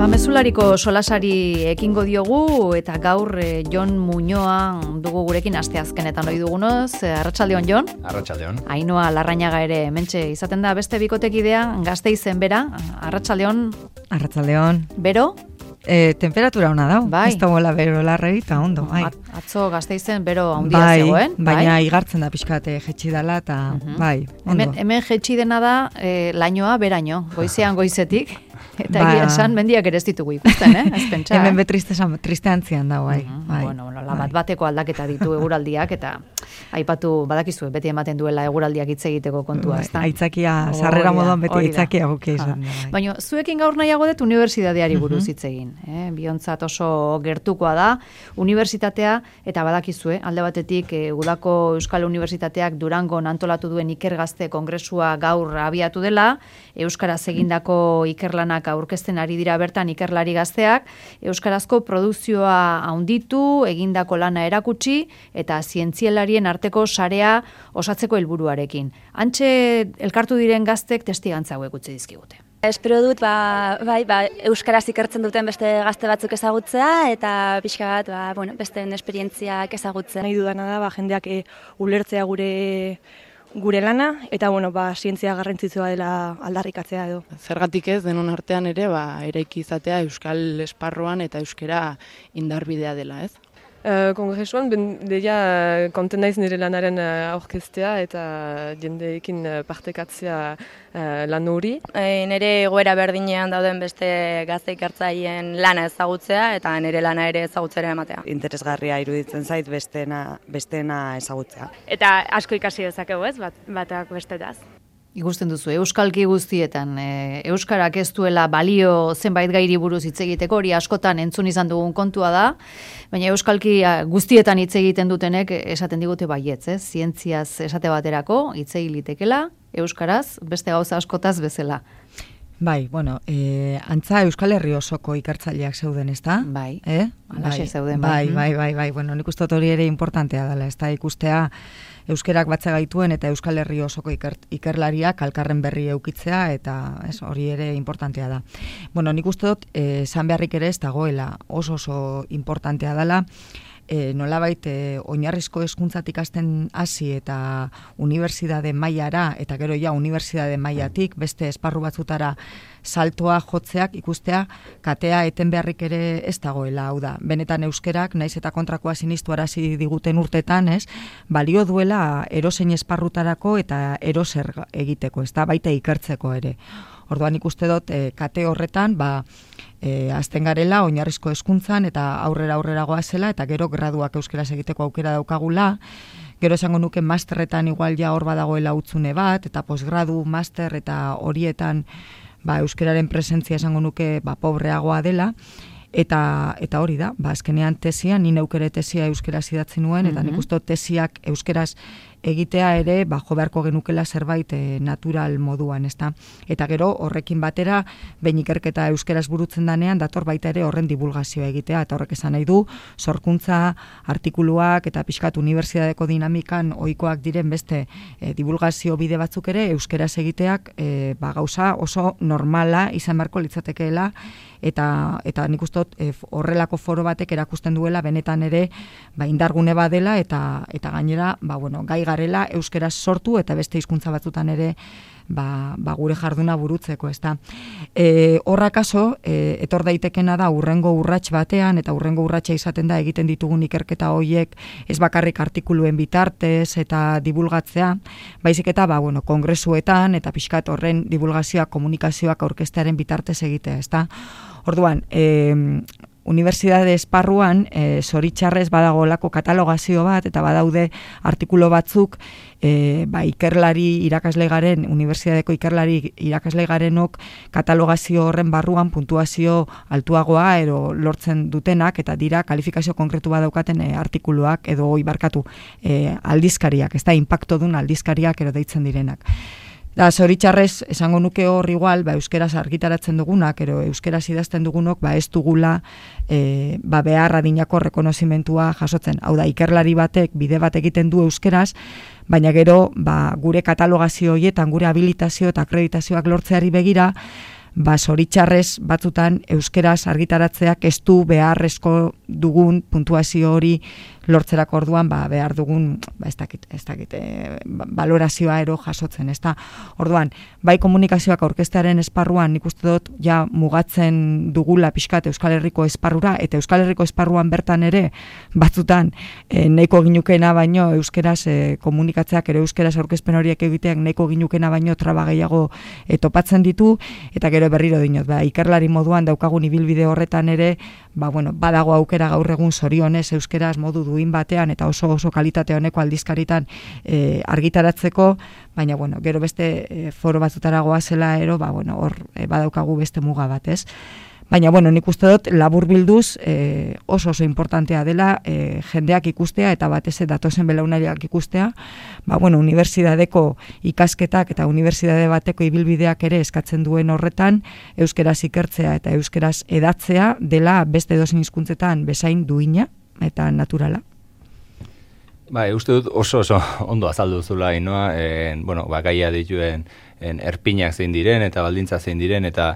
Mezulariko solasari ekingo diogu eta gaur Jon Muñoa dugu gurekin asteazkenetan ohi dugunez. Arratsaldeon Jon. Arratsaldeon. Ainhoa Larrañaga ere hementxe izaten da beste bikotekidea Gasteizen bera. Arratsaldeon. Arratsaldeon. Bero? Temperatura ona da. Bai. Ez dagoela bero larrei eta ondo. Bai. Atzo Gasteizen bero handia zegoen. Baina igartzen da pixkat jetxi dela eta bai, ondo. Hemen jetxi dena da lainoa beraino, goizean goizetik. Eta egia esan, mendiak ere ez ditugu ikusten, ez pentsa. Hemen triste antzian da, bai. Bueno, bateko aldaketa ditu eguraldiak, eta aipatu badakizue, beti ematen duela eguraldiak hitz egiteko kontua, ez da? Aitzakia, sarrera moduan beti aitzakia gukia izan. Baina, zuekin gaur nahiago dut unibertsitateari buruz hitz egin. Biontzat oso gertukoa da, unibertsitatea, eta badakizue, alde batetik, Udako Euskal Unibertsitateak Durangon antolatu duen ikergazte kongresua gaur abiatu dela, Euskaraz egindako ikerlanak aurkezten ari dira bertan ikerlari gazteak, euskarazko produkzioa handitu, egindako lana erakutsi eta zientzialarien arteko sarea osatzeko helburuarekin. Hantxe elkartu diren gaztek testigantza hauek utzi dizkigute. Espero dut, euskaraz ikertzen duten beste gazte batzuk ezagutzea eta pixka bat, besteen esperientziak ezagutzen. Nahi dudana da, jendeak ulertzea gure lana, eta zientzia garrantzitsua dela aldarrikatzea edo. Zergatik ez, denon artean ere, eraiki izatea euskal esparruan eta euskara indarbidea dela, ez? Kongresuan, deia konten naiz nire lanaren aurkeztea eta jendeekin partekatzea lan hori. Nire egoera berdinean dauden beste gazte ikertzaileen lana ezagutzea eta nire lana ere ezagutzera ematea. Interesgarria iruditzen zait besteena ezagutzea. Eta asko ikasi dezakegu, ez, batak bestetaz. Ikusten duzu, euskalki guztietan, euskarak ez duela balio zenbait gairi buruz hitz egiteko, hori askotan entzun izan dugun kontua da, baina euskalki guztietan hitz egiten dutenek esaten digute baietz, zientziaz esate baterako hitz egitekela, euskaraz, beste gauza askotaz bezala. Bai, antza Euskal Herri osoko ikertzaileak zeuden, ez da? Bai, alaxe zeuden. Bai, nik uste hori ere importantea dela, ez da, ikustea euskerak batza gaituen eta Euskal Herri osoko ikerlariak alkarren berri eukitzea eta hori ere importantea da. Nik uste dut, esan beharrik ere ez dagoela oso importantea dela, nolabait oinarrizko hezkuntzatik hasten hasi eta unibertsitate mailara eta gero unibertsitate mailatik beste esparru batzutara saltoa jotzeak ikustea katea eten beharrik ere ez dagoela, hau da. Benetan euskerak naiz eta kontrakoa sinistuarazi diguten urtetan, balio duela erozein esparrutarako eta eroser egiteko, ez da, baita ikertzeko ere. Orduan ikuste dut kate horretan, azten garela oinarrizko hezkuntzan eta aurrera goazela eta gero graduak euskeraz egiteko aukera daukagula. Gero esango nuke masterretan igual hor badagoela utzune bat eta posgradu, master eta horietan euskeraren presentzia esango nuke pobreagoa dela. Eta hori da, azkenean tesian, ni neukere tesia euskeraz idatzi nuen, eta nik uste tesiak euskeraz egitea ere, jo beharko genukela zerbait natural moduan, ezta? Eta gero, horrekin batera, behin ikerketa euskeraz burutzen danean, dator baita ere horren divulgazioa egitea, eta horrek esan nahi du, sorkuntza, artikuluak, eta pixkat unibertsitateko dinamikan ohikoak diren beste divulgazio bide batzuk ere, euskeraz egiteak gauza oso normala izan beharko litzatekeela, eta nik uste horrelako foro batek erakusten duela benetan ere indargune badela eta gainera gai garela euskeraz sortu eta beste hizkuntza batzutan ere gure jarduna burutzeko, ezta. Horrakaso, etor daitekena da urrengo urrats batean, eta urrengo urratsa izaten da egiten ditugun ikerketa horiek ez bakarrik artikuluen bitartez eta divulgatzea, baizik eta kongresuetan eta pixkat horren divulgazioak, komunikazioak aurkeztearen bitartez egitea, ezta. Orduan, unibertsitate esparruan zoritxarrez badagolako katalogazio bat eta badaude artikulu batzuk ikerlari irakasle garen, unibertsitateko ikerlari irakasle garenok katalogazio horren barruan puntuazio altuagoa ero lortzen dutenak eta dira kalifikazio konkretu bat daukaten artikuluak edo aldizkariak, ez da, inpaktodun aldizkariak ero deitzen direnak. Da, zoritxarrez, esango nuke hor igual, euskeraz argitaratzen dugunak, ero euskeraz idazten dugunok, ez dugula behar adinako rekonozimentua jasotzen. Hau da, ikerlari batek, bide bat egiten du euskeraz, baina gero, gure katalogazio horietan, gure habilitazio eta akreditazioak lortzeari begira, zoritxarrez batzutan euskeraz argitaratzeak ez du beharrezko dugun puntuazio hori lortzerako orduan behar dugun ez dakit valorazioa ero jasotzen, ezta. Orduan, bai komunikazioak aurkeztearen esparruan nik uste dut ja mugatzen dugula pixkat Euskal Herriko esparrura, eta Euskal Herriko esparruan bertan ere batzutan nahiko ginukena baino euskeraz komunikatzeak ere euskeraz aurkezpen horiek egiteak nahiko ginukena baino traba gehiago topatzen ditu, eta gero berriro dinot, ikerlari moduan daukagun ibilbide horretan ere, badago aukera gaur egun zorionez euskeraz modu duin batean eta oso kalitate honeko aldizkaritan argitaratzeko, baina gero beste foro batzutara goazela ero, hor badaukagu beste muga bat, ez? Baina, nik uste dut, laburbilduz oso importantea dela jendeak ikustea eta batez datozen belaunariak ikustea, unibertsitateko ikasketak eta unibertsitate bateko ibilbideak ere eskatzen duen horretan, euskeraz ikertzea eta euskeraz edatzea dela beste edozein hizkuntzetan bezain duina eta naturala. Uste dut oso ondo azaldu zula Ainoa, gaia dituen erpinak zein diren eta baldintza zein diren eta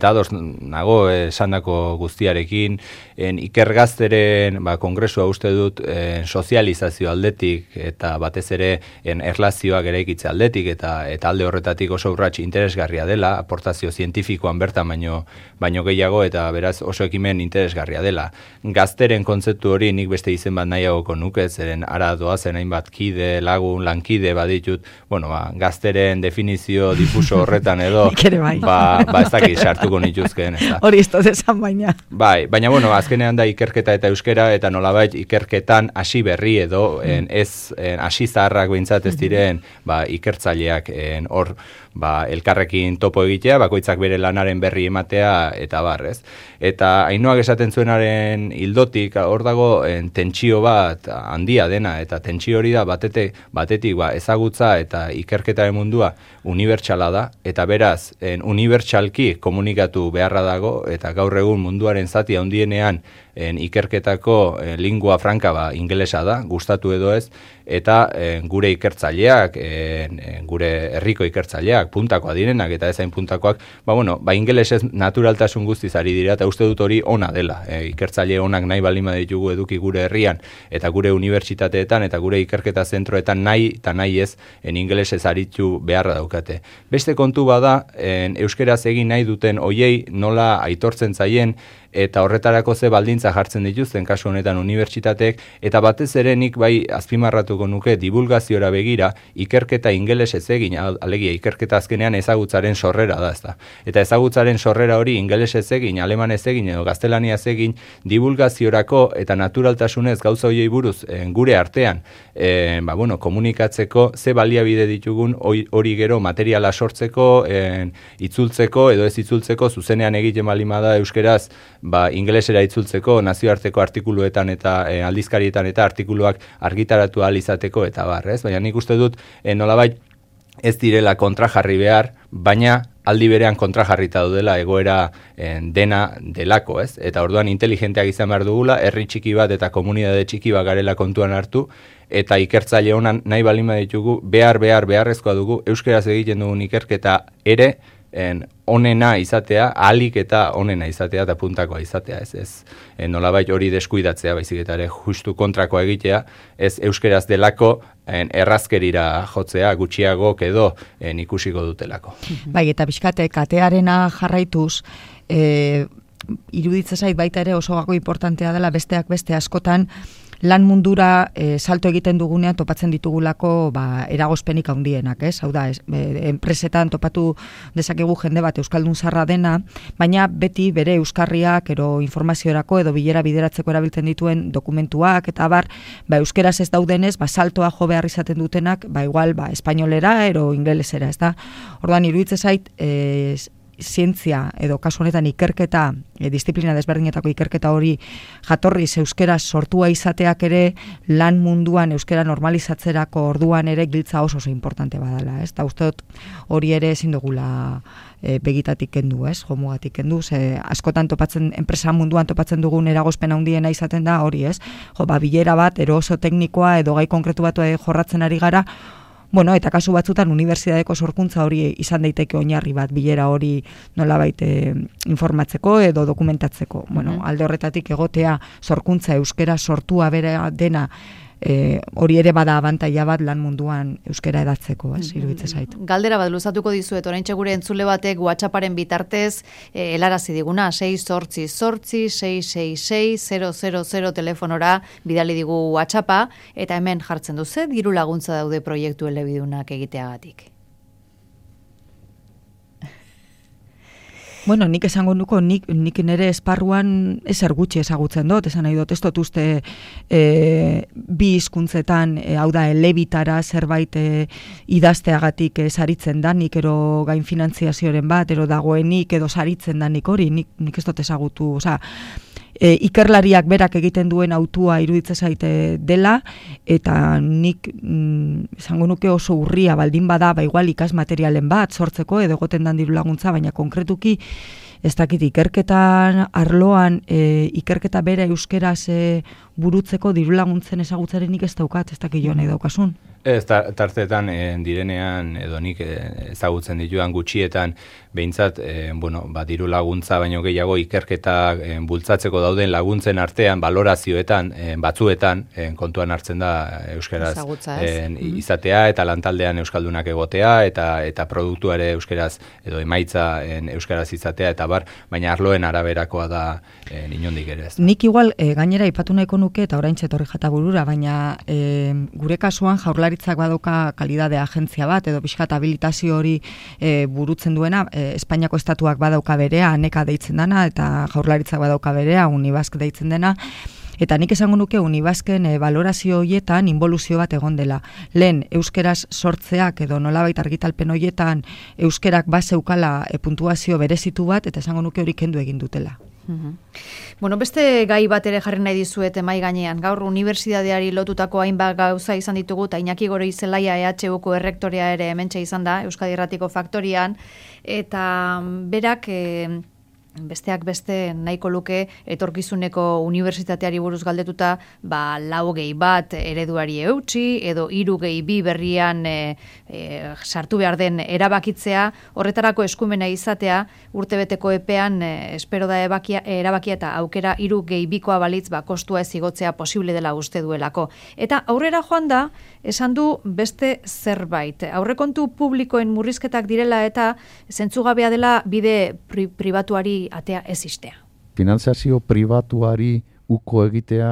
ados nago esandako guztiarekin, ikergazteren kongresua uste dut sozializazio aldetik eta batez ere erlazioak eraikitze aldetik eta alde horretatik oso urrats interesgarria dela, aportazio zientifikoan bertan baino gehiago eta beraz oso ekimen interesgarria dela. Gazteren kontzeptu hori nik beste izen bat nahiagoko nuke, zeren ara doazen hainbat kide, lagun, lankide baditut, gazteren definizio difuso horretan edo, ez dakit sartuko nituzkeen. Hori ez dut esan baina. Baina, azkenean da ikerketa eta euskera, eta nolabait ikerketan hasi berri edo, hasi zaharrak behintzat ez diren, ikertzaileak hor, elkarrekin topo egitea, bakoitzak bere lanaren berri ematea, eta barrez. Eta Ainoak esaten zuenaren hildotik, hor dago tentsio bat handia dena, eta tentsio hori da batetik ezagutza eta ikerketaren mundua unibertsala da, eta beraz, unibertsalki komunikatu beharra dago, eta gaur egun munduaren zati handienean ikerketako lingua franca ingelesa da, gustatu edo ez, eta gure ikertzaileak, gure herriko ikertzaileak, puntakoa direnak eta ezain puntakoak, ingelesez naturaltasun guztiz ari dira, eta uste dut hori ona dela. Ikertzaile onak nahi balima ditugu eduki gure herrian, eta gure unibertsitateetan, eta gure ikerketa zentroetan nahi eta nahi ez, ingelesez aritu beharra daukate. Beste kontu bada, euskeraz egin nahi duten hoiei nola aitortzen zaien, eta horretarako ze baldintza jartzen dituzten kasu honetan unibertsitateek, eta batez ere nik azpimarratuko nuke divulgaziora begira ikerketa ingelesez egin, alegia ikerketa azkenean ezagutzaren sorrera da, ezta. Eta ezagutzaren sorrera hori ingelesez egin, alemanez egin edo gaztelaniaz egin, divulgaziorako eta naturaltasunez gauza hoiei buruz gure artean, komunikatzeko ze baliabide ditugun hori gero materiala sortzeko, itzultzeko edo ez itzultzeko, zuzenean egiten balima da euskeraz, ingelesera itzultzeko, nazioarteko artikuluetan eta aldizkarietan eta artikuluak argitaratu ahal izateko eta barrez. Baina nik uste dut nolabait ez direla kontrajarri behar, baina aldi berean kontrajarrita dudela egoera dena delako, ez? Eta orduan inteligenteak izan behar dugula, herri txiki bat eta komunitate txiki bat garela kontuan hartu, eta ikertzaile honan nahi balima ditugu, beharrezkoa dugu, euskeraz egiten dugun ikerketa ere, onena izatea, ahalik eta onena izatea eta puntakoa izatea, ez nolabait hori deskuidatzea, baizik eta ere justu kontrakoa egitea, ez euskeraz delako errazkerira jotzea, gutxiago edo ikusiko dutelako. Bai, eta pixkate, katearena jarraituz, iruditzen zait baita ere oso gako importantea dela besteak beste askotan, lan mundura salto egiten dugunean topatzen ditugulako eragozpenik handienak, ez? Hau da, enpresetan topatu dezakegu jende bat euskaldun zarra dena, baina beti bere euskarriak ero informaziorako edo bilera bideratzeko erabiltzen dituen dokumentuak eta euskeraz ez daudenez, saltoa jo behar izaten dutenak, igual espainolera ero ingelesera, ez da? Orduan iruditzen zait zientzia edo kasu honetan ikerketa, disiplina desberdinetako ikerketa hori jatorriz euskeraz sortua izateak ere lan munduan euskera normalizatzerako orduan ere giltza oso importante badala, ez? Eta uste dut hori ere ezin dugula begitatik kendu, ez? Jomugatik kendu, askotan topatzen, enpresa munduan topatzen dugun eragozpen handiena izaten da hori, ez? Bilera bat, ero oso teknikoa edo gai konkretu bat jorratzen ari gara, Bueno, eta kasu batzutan unibertsitateko sorkuntza hori izan daiteke oinarri bat bilera hori nolabait informatzeko edo dokumentatzeko. Bueno, alde horretatik egotea sorkuntza euskera sortua bera dena hori ere bada abantaila bat lan munduan euskera edatzeko, iruditzen zait. Galdera bat luzatuko dizuet, oraintxe gure entzule batek WhatsApparen bitartez helarazi diguna, 688-666-000 telefonora bidali digu WhatsAppa, eta hemen jartzen du ze diru laguntza daude proiektu elebidunak egiteagatik. Bueno, nik esango nuko, nik nire esparruan ezer gutxi ezagutzen dut, esan nahi dut, ez dut uste bi hizkuntzetan, hau da, elebitara zerbait idazteagatik saritzen danik, ero gain finantziazioaren bat, ero dagoenik, edo saritzen danik hori, nik ez dut ezagutu, oza, ikerlariak berak egiten duen autua iruditzen zaite dela, eta nik esango nuke oso urria baldin bada, igual ikasmaterialen bat sortzeko edo egoten dan diru laguntza, baina konkretuki ez dakit ikerketan arloan ikerketa bera euskeraz burutzeko diru laguntzen ezagutzarenik ez daukat, ez dakit joan nahi daukasun. Ez, tartetan direnean, edo nik ezagutzen dituan gutxietan, behintzat, diru laguntza baino gehiago ikerketa bultzatzeko dauden laguntzen artean, balorazioetan, batzuetan, kontuan hartzen da euskeraz izatea, eta lantaldean euskaldunak egotea, eta produktua ere euskeraz, edo emaitza euskeraz izatea, eta baina arloen araberakoa da inondik ere ez. Nik igual, gainera ipatu nahiko nuke, eta orain txetorri jata burura, baina gure kasuan Jaurlaritzak badauka kalidade agentzia bat, edo pixkat habilitazio hori burutzen duena, Espainiako estatuak badauka berea, aneka deitzen dena, eta Jaurlaritzak badauka berea, Unibask deitzen dena, eta nik esango nuke Unibasken valorazio horietan involuzio bat egon dela. Lehen, euskeraz sortzeak edo nolabait argitalpen horietan euskerak bazeukala puntuazio berezitu bat, eta esango nuke hori kendu egin dutela. Bueno, beste gai bat ere jarri nahi dizuet mahai gainean. Gaur unibertsitateari lotutako hainbat gauza izan ditugu, eta Iñaki Gorizelaia EHUko errektorea ere hementxe izan da, Euskadi Irratiko Faktorian, eta berak besteak beste nahiko luke etorkizuneko unibertsitateari buruz galdetuta, 4+1 ereduari eutsi, edo 3+2 berrian sartu behar den erabakitzea, horretarako eskumena izatea, urtebeteko epean espero da erabakia eta aukera 3+2 balitz, kostua ez igotzea posible dela uste duelako. Eta aurrera joan da, esan du beste zerbait. Aurrekontu publikoen murrizketak direla eta zentzugabea dela bide pribatuari atea ez istea. Finanziazio pribatuari uko egitea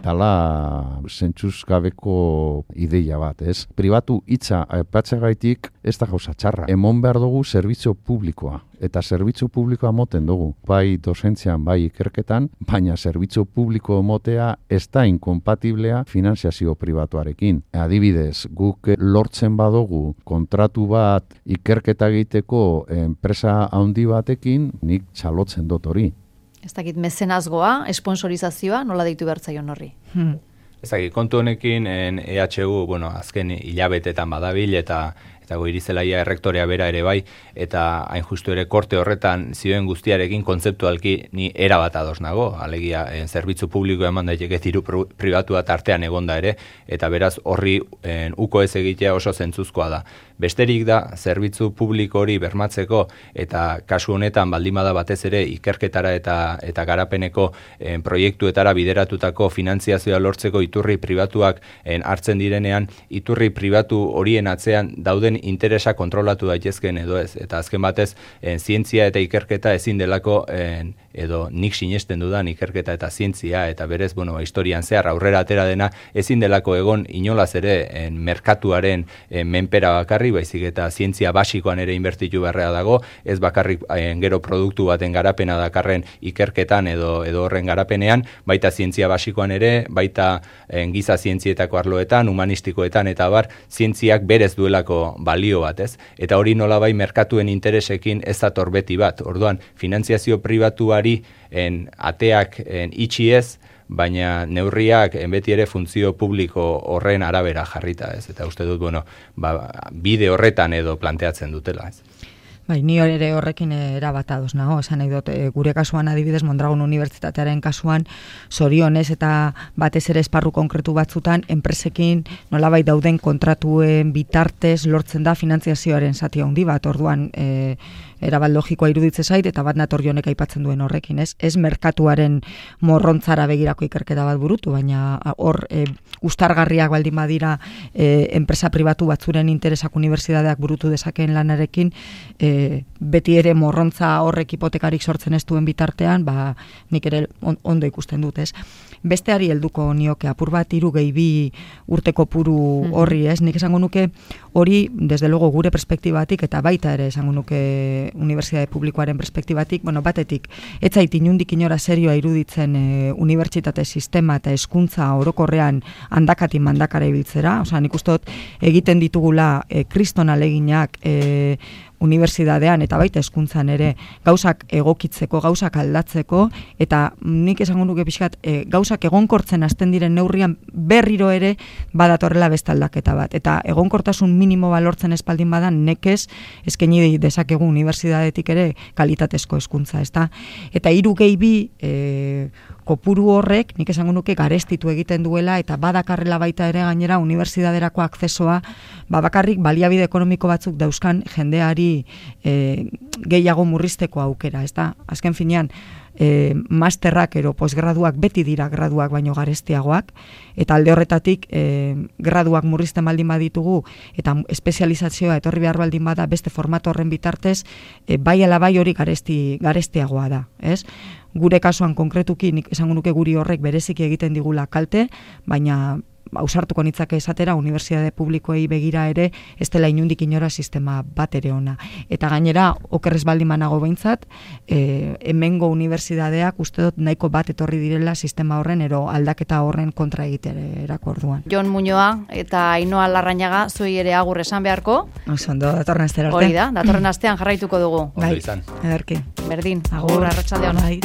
dala zentzuz gabeko ideia bat, ez? Pribatu hitza aipatzegaitik ez da gauza txarra. Emon behar dugu zerbitzu publikoa. Eta zerbitzu publikoa moten dugu. Bai dozentzian, bai ikerketan, baina zerbitzu publiko motea ez da inkompatiblea finanziazio pribatuarekin. Adibidez, guk lortzen badugu kontratu bat ikerketa egiteko enpresa handi batekin, nik txalotzen dut hori. Ez dakit mezenazgoa, esponsorizazioa, nola deitu bertzaion horri? Ez dakit, kontu honekin EHU, azken hilabetetan badabil eta Goirizelaia errektorea bera ere bai, eta hain justu ere korte horretan zioen guztiarekin kontzeptualki ni erabat ados nago, alegia zerbitzu publiko eman daiteke diru pribatua tartean egonda ere, eta beraz horri uko ez egitea oso zentzuzkoa da. Besterik da, zerbitzu publiko hori bermatzeko, eta kasu honetan baldin bada batez ere ikerketara eta garapeneko proiektuetara bideratutako finantziazioa lortzeko iturri pribatuak hartzen direnean, iturri pribatu horien atzean dauden interesa kontrolatu daitezken edo ez. Eta azken batez, zientzia eta ikerketa ezin delako, edo nik sinesten dudan ikerketa eta zientzia, eta berez, historian zehar aurrera atera dena, ezin delako egon inolaz ere merkatuaren menpera bakarri, baizik eta zientzia basikoan ere inbertitu beharra dago, ez bakarrik gero produktu baten garapena dakarren ikerketan edo horren garapenean, baita zientzia basikoan ere, baita giza zientzietako arloetan, humanistikoetan eta zientziak berez duelako balio bat, ez? Eta hori nolabai merkatuen interesekin ez dator beti bat. Orduan, finantziazio pribatuari ateak itxi ez, baina neurriak beti ere funtzio publiko horren arabera jarrita, ez? Eta uste dut, bide horretan edo planteatzen dutela, ez? Bai, ni ere horrekin erabat ados nago, esan nahi dut, gure kasuan adibidez Mondragon Unibertsitatearen kasuan zorionez eta batez ere esparru konkretu batzutan enpresekin nolabait dauden kontratuen bitartez lortzen da finantziazioaren zati handi bat, orduan erabat logikoa iruditze zait eta bat nator honek aipatzen duen horrekin, ez merkatuaren morrontzara begirako ikerketa bat burutu, baina hor ustargarriak baldin badira enpresa pribatu batzuren interesak unibertsitateak burutu dezakeen lanarekin, beti ere morrontza horrek hipotekarik sortzen ez duen bitartean, nik ere ondo ikusten dut, ez? Besteari helduko nioke apur bat 3-2 urte kopuru horri, ez? Nik esango nuke hori, desde luego gure perspektibatik eta baita ere esango nuke unibertsitate publikoaren perspektibatik, batetik, ez zait inundik inora serioa iruditzen unibertsitate sistema eta hezkuntza orokorrean handakatik mandakara ibiltzera, osea, nik uste dut egiten ditugula kriston ahaleginak unibertsitatean eta baita hezkuntzan ere gauzak egokitzeko, gauzak aldatzeko, eta nik esango nuke pixkat gauzak egonkortzen hasten diren neurrian berriro ere badatorrela beste aldaketa bat. Eta egonkortasun minimo balortzen espaldin badan nekez eskaini dezakegu unibertsitatetik ere kalitatezko hezkuntza, ezta? Eta 3-2 kopuru horrek, nik esango nuke garestitu egiten duela eta badakarrela baita ere gainera unibertsitaterako akzesoa, bakarrik baliabide ekonomiko batzuk dauzkan jendeari gehiago murrizteko aukera, ezta? Azken finean, masterrak ero posgraduak beti dira graduak baino garestiagoak, eta alde horretatik graduak murrizten baldin baditugu eta espezializazioa etorri behar baldin bada beste formato horren bitartez, bai ala bai hori garestiagoa da, ez? Gure kasuan konkretuki nik esango nuke guri horrek bereziki egiten digula kalte, baina ausartuko nitzake esatera unibertsitate publikoei begira ere ez dela inundik inora sistema bat ere ona. Eta gainera, okerrez baldin banago behintzat, hemengo unibertsitateak uste dut nahiko bat etorri direla sistema horren ero aldaketa horren kontra egiterako orduan. Jon Muñoa eta Ainhoa Larrañaga zuei ere agur esan beharko. Ondo, datorren astera arte. Hori da, datorren astean jarraituko dugu. Ondo izan. Ederki. Berdin, agur arratsaldean. Bai.